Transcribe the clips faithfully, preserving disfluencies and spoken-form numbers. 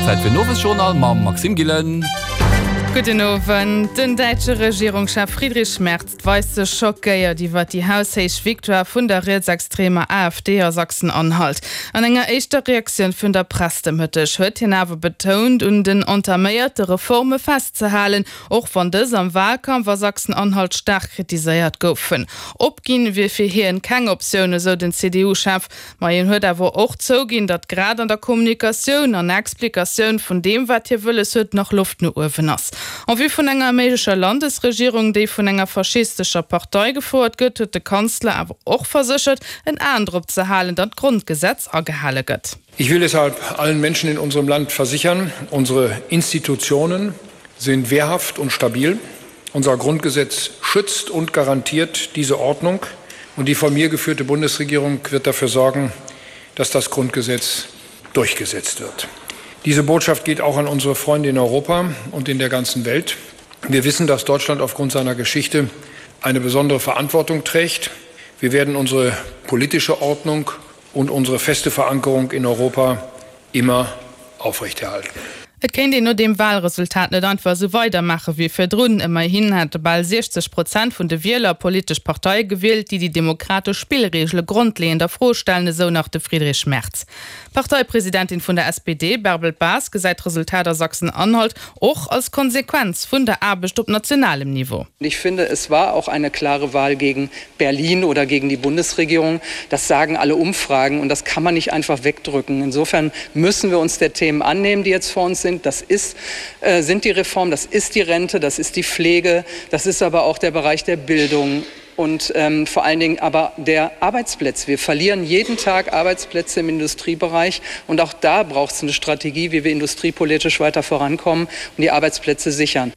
Zäit fir den Owesjournal mam Maxime Gillen. Gudden Owend. Den däitsche Regierungschef Friedrich Merz weist sech schockéiert iwwer déi haushéich Victoire vun der rietsextremer AfD a Sachsen-Anhalt. An enger éischter Reaktioun virun der Press de Mëtteg huet hien awer betount, un den entaméierte Reforme festzehalen, och wann dës am Walkampf a Sachsen-Anhalt staark kritiséiert goufen. Opginn wier fir hien keng Optioun, esou den CDU-Chef. Ma hien huet awer och zouginn, datt grad an der Kommunikatioun an Explikatioun vun deem, wat hie wëlles huet, nach Loft no uewen ass. En vue vun enger méiglecher Landesregierung, déi vun enger faschistescher Partei gefouert gëtt, huet de Kanzler awer och verséchert, en Aen drop ze halen, datt d'Grondgesetz agehale gëtt. Ich will deshalb allen Menschen in unserem Land versichern, unsere Institutionen sind wehrhaft und stabil. Unser Grundgesetz schützt und garantiert diese Ordnung. Und die von mir geführte Bundesregierung wird dafür sorgen, dass das Grundgesetz durchgesetzt wird. Diese Botschaft geht auch an unsere Freunde in Europa und in der ganzen Welt. Wir wissen, dass Deutschland aufgrund seiner Geschichte eine besondere Verantwortung trägt. Wir werden unsere politische Ordnung und unsere feste Verankerung in Europa immer aufrechterhalten. Et kéint een no deem Walresultat net einfach esou weidermaache wéi virdrun. Ëmmerhin hätte bal siechzeg Prozent vun de Wieler politesch Parteie gewielt, déi déi demokratesch Spillreegele grondleeënd a Fro stellen, esou nach de Friedrich Merz. D'Parteipresidentin vun der S P D, Bärbel Bas, gesäit d'Resultat a Sachsen-Anhalt och als Konsequenz vun der Aarbecht op nationalem Niveau. Ich finde, es war auch eine klare Wahl gegen Berlin oder gegen die Bundesregierung. Das sagen alle Umfragen und das kann man nicht einfach wegdrücken. Insofern müssen wir uns der Themen annehmen, die jetzt vor uns sind. Das ist, äh, sind die Reformen, das ist die Rente, das ist die Pflege, das ist aber auch der Bereich der Bildung und ähm, vor allen Dingen aber der Arbeitsplätze. Wir verlieren jeden Tag Arbeitsplätze im Industriebereich und auch da braucht es eine Strategie, wie wir industriepolitisch weiter vorankommen und die Arbeitsplätze sichern.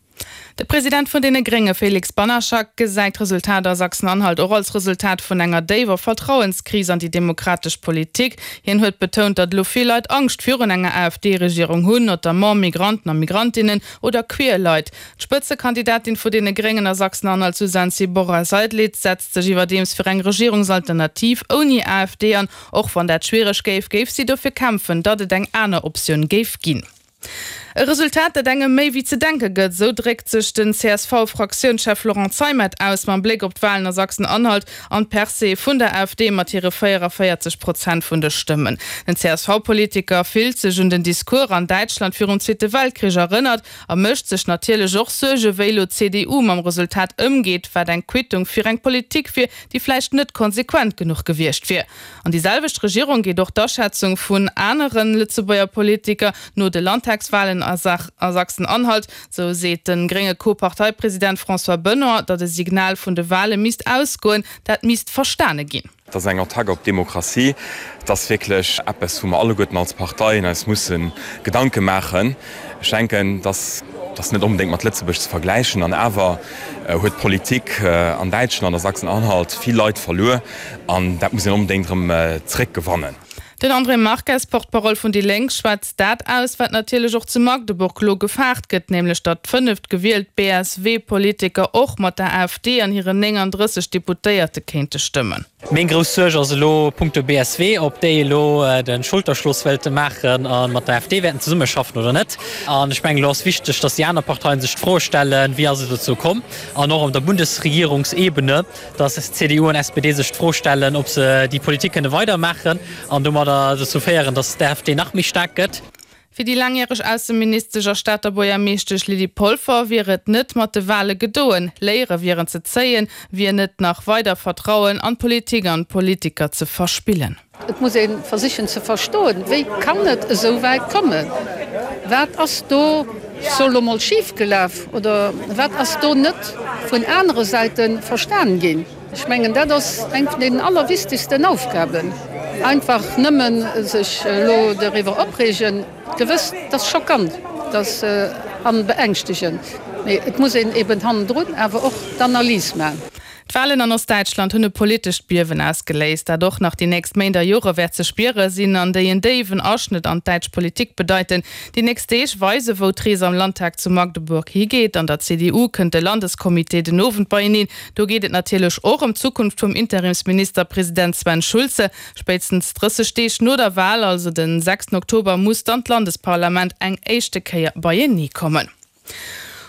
De President vun deene Grénge Felix Banaszak gesäit d'Resultat a Sachsen-Anhalt och als Resultat vun enger déiwer Vertrauenskris an déi demokratesch Politik. Hien huet betount, datt elo vill Leit Angscht virun enger A F D-Regierung hunn, notamment Migranten a Migrantinnen oder queer Leit. D'Spëtzekandidatin vun deene Gréngen a Sachsen-Anhalt Susanne Sibora-Seidlitz setzt sech iwwerdeems fir eng Regierungsalternativ ouni A F D an. Och wann dat schwiereg géif, géif si dofir kämpfen, datt et eng aner Optioun géif ginn. E Resultat, dat engem méi wéi ze denke gëtt, sou dréckt sech den C S V-Fraktiounschef Laurent Zeimet aus mam Bléck op d'Walen a Sachsen-Anhalt an d'Percée vun der A F D mat hire véieranvéierzeg Prozent vun de Stëmmen. Den C S V-Politiker fillt sech un den Discours an Däitschland virum Zweete Weltkrich erënnert a mécht sech natierlech och Suerge wéi elo d'C D U mam Resultat ëmgeet, wat eng Quittung fir eng Politik wier, déi vläicht net konsequent genuch gewiescht wier. An déi selwecht Regierung geet och d'Aschätzung vun anere Lëtzebuerger Politiker no de Landtagswalen a Sachsen-Anhalt, sou seet de grénge Co-Parteipresident François Benoy, datt e Signal vun de Wale misst ausgoen, dat misst verstane ginn. Dat ass eng Attack op d'Demokratie. Dat ass wierklech eppes, wou mer alleguerten als Parteien eis musse Gedanke maachen. Ech denken, dass dat net onbedéngt mat Lëtzebuerg ze vergläichen an awer huet d'Politik an Däitschland, a Sachsen-Anhalt vill Leit verluer an dat muss een onbedéngt erëm zréckgewannen. Den André Marques, Porte-parole vun déi Lénk, schwätzt dat aus, wat natierlech och zu Magdeburg lo gefaart gëtt, nämlech datt fënnef gewielt B S W-Politiker och mat der A F D an hiren nénganddrësseg Deputéierte kéinte stëmmen. Meng grouss Suerg ass elo punkto B S W, ob déi elo de Schulterschloss wëllte maachen a mat der A F D wäerten zesummeschaffen oder net. An ech mengen, elo ass wichteg, datt déi aner Parteien sech d'Fro stellen, wéi ass et dozou komm, an och op der Bundesregierungsebene, datt C D U an S P D sech d'Fro stellen, ob se déi Politik kënne weidermaachen an domadder dozou féieren, datt d'A F D nach méi staark gëtt. Fir déi laangjäreg Ausseministesch a Stater Buergermeeschtesch Lydie Polfer wier et net mat de Wale gedoen. Léiere wieren ze zéien, wier net nach weider Vertrauen an d'Politik an d'Politiker ze verspillen. Et muss ee versichen ze verstoen, wéi kann et esou wäit kommen? Wat ass do sou lo mol schif gelaf oder wat ass do net vun anere Säite verstan ginn? Ech mengen, dat ass eng vun den allerwichtigsten Aufgaben. Einfach nëmmen sech elo doriwwer opreegen, gewëss, dat ass schockant, dat ass an beängschtegend, mee et muss een eben hannendrun awer och d'Analys maachen. D'Walen an Ostdäitschland hunn e politescht Biewen ausgeléist, dat och nach déi nächst Méint a Jore wäert ze spiere sinn an déi en déiwen Aschnëtt an d'däitsch Politik bedeiten. Déi nächst Deeg weise wou d'Rees am Landtag zu Magdeburg higeet. An der C D U kënnt de Landescomité den Owend beieneen. Do geet et natierlech och ëm d'Zukunft vum Interimsministerpresident Sven Schulze. Spéitstens drësseg Deeg no der Wal, also den sechsten Oktober, muss dann d'Landesparlament eng éischte Kéier beienee kommen.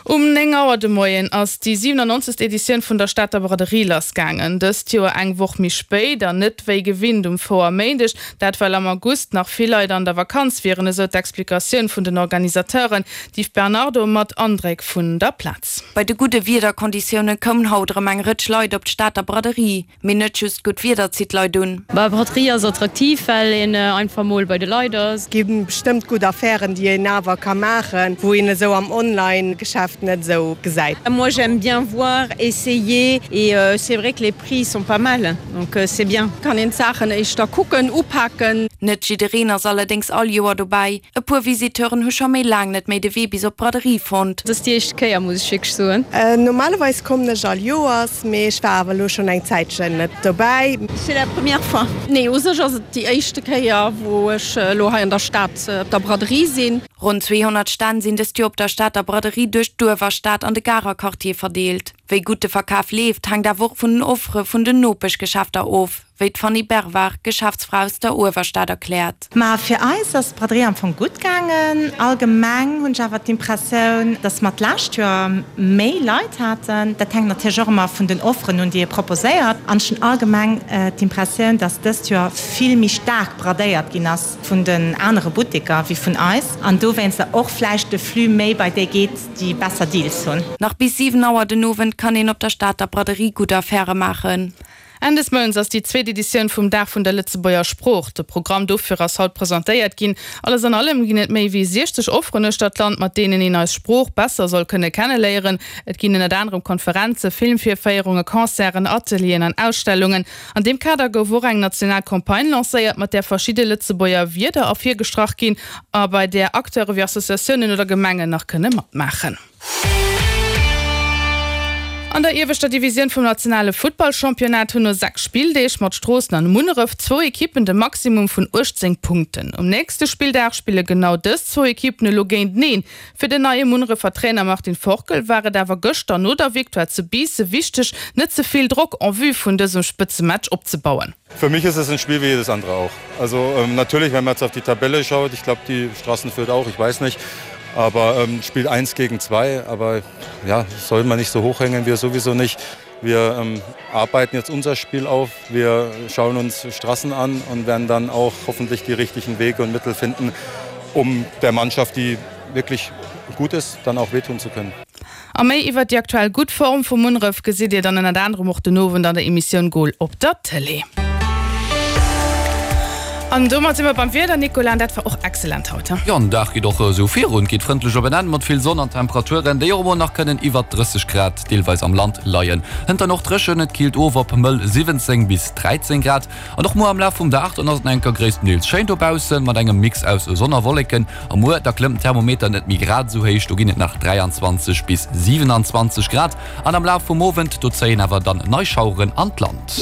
Um néng Auer de Moien ass déi siwenannonzegst Editioun vun der Stater Braderie lassgaangen. Dëst Joer eng Woch méi spéit an net wéi gewinnt um Fouerméindeg. Dat well am August nach vill Leit an der Vakanz wieren, esou d'Explikatioun vun den Organisateuren. D'Yves Bernardo mat Andréck vun der Plaz. Bei de gudde Wiederkonditioune koumen haut erëm eng Rëtsch Leit op d'Stater Braderie. Mee net just gutt Wieder zitt Leit un. Bah, Braderie ass attraktiv, well een einfach mol bei de Leit ass. Et gi bestëmmt gutt Affären, déi een awer ka maachen, wou een esou am Online-Geschäft net esou gesäit. Moi j'aime bien voir, essayer et euh, c'est vrai que les prix sont pas mal, donc euh, c'est bien. Kann een d'Saachen éischter kucken, upaken. Net jiddereen ass allerdéngs all Joer dobäi. E puer Visiteuren hu scho méi laang net méi de Wee bis op d'Braderie fonnt. Dat ass déi éischt Kéier, muss ech wierklech soen. Normalerweis kommen ech all Joers, mee ech war awer elo schonn eng Zäitchen net dobäi. C'est la première fois. Nee, u sech ass et déi éischte Kéier, wou ech elo hei an der Stad op der Braderie sinn. Ronn zweehonnert Stänn sinn dëst Joer op der Stater Braderie duerch d'Uewerstad an de Garer Quartier verdeelt. Wéi gutt de Verkaf leeft, hänkt awer och vun den Offere vun den Nopeschgeschäfter of, wéi d'Fanny Berwar, Geschäftsfra aus der Uewerstad, erkläert. Ma fir eis ass d'Braderie am Fong gutt gaangen. Allgemeng hunn ech awer d'Impressioun, datt mer d'lescht Joer méi Leit haten. Dat hänkt natierlech och ëmmer vun den Offeren un, déi ee proposéiert. An ech hunn allgemeng d'Impressioun, datt dëst Joer vill méi staark bradéiert ginn ass vun den anere Butteker wéi vun eis. An dowéinster och vläicht de Flux méi bei déi geet, déi besser Deals hunn. Nach bis siwen Auer den Owend kann een op der Stater Braderie gutt Affäre maachen. Enn des Mounts ass déi zweet Editioun vum Dag vun der Lëtzebuerger Sprooch. De Programm dofir ass haut presentéiert ginn. Alles an allem ginn et méi wéi siechzeg Offeren uechter d'Land, mat deenen een eis Sprooch besser soll kënne kenneléieren. Et ginn ënnert anerem Konferenze, Filmvirféierunge, Concerten, Atelieren an Ausstellungen. An deem Kader gouf och eng national Campagne lancéiert, mat där verschidde Lëtzebuerger Wierder ervirgestrach ginn a bei där Acteure wéi Associatiounen oder Gemengen nach kënne matmaachen. An der ieweschter Divisioun vum nationale Futtballchampionnat hunn no sechs Spilldeeg mat Stroossen an Munneref zwou Ekippen de Maximum vun uechtzéng Punkten. Um nächste Spilldag spille genau dës zwou Ekippen elo géinteneen. Fir den neie Munnerefer Trainer Martin Forkel war et awer gëschter no der Victoire zu Biissen wichteg, net ze vill Drock en vue vun dësem Spëtzematch opzebauen. Für mich ist es ein Spiel wie jedes andere auch. Also, ähm, natürlich, wenn man jetzt auf die Tabelle schaut, ich glaub, die Straßen führt auch, ich weiß nicht. Aber, ähm, Spiel eins gegen zwei, aber ja, soll man nicht so hochhängen, wir sowieso nicht. Wir, ähm, arbeiten jetzt unser Spiel auf, wir schauen uns Straßen an und werden dann auch hoffentlich die richtigen Wege und Mittel finden, um der Mannschaft, die wirklich gut ist, dann auch wehtun zu können. A méi iwwer déi aktuell gutt Form vum Munneref gesitt Dir dann ënnert anerem och den Owend an der Emissioun Goal op der Tëlee. An domat si mer beim Wieder, Nicolas, an dat war och excellent haut, he? Jo, den Dag geet och esou virun, geet frëndlech op en Enn mat vill Sonn an Temperaturen, déi och emol nach kënnen iwwer drësseg Grad deelweis am Land leien. Hënt dann och dréchen, et killt of op mëll siwwenzéng bis dräizéng Grad. An och muer am Laf vum Dag, dann ass et nach eng Kéier gréisstendeels schéin dobaussen, mat engem Mix aus Sonn a Wolleken. A muer, da klëmmt den Thermometer net méi grad esou héich, do ginn et nach dräianzwanzeg bis siwenanzwanzeg Grad. An am Laf vum Owend, do zéien awer dann nei Schaueren an d'Land.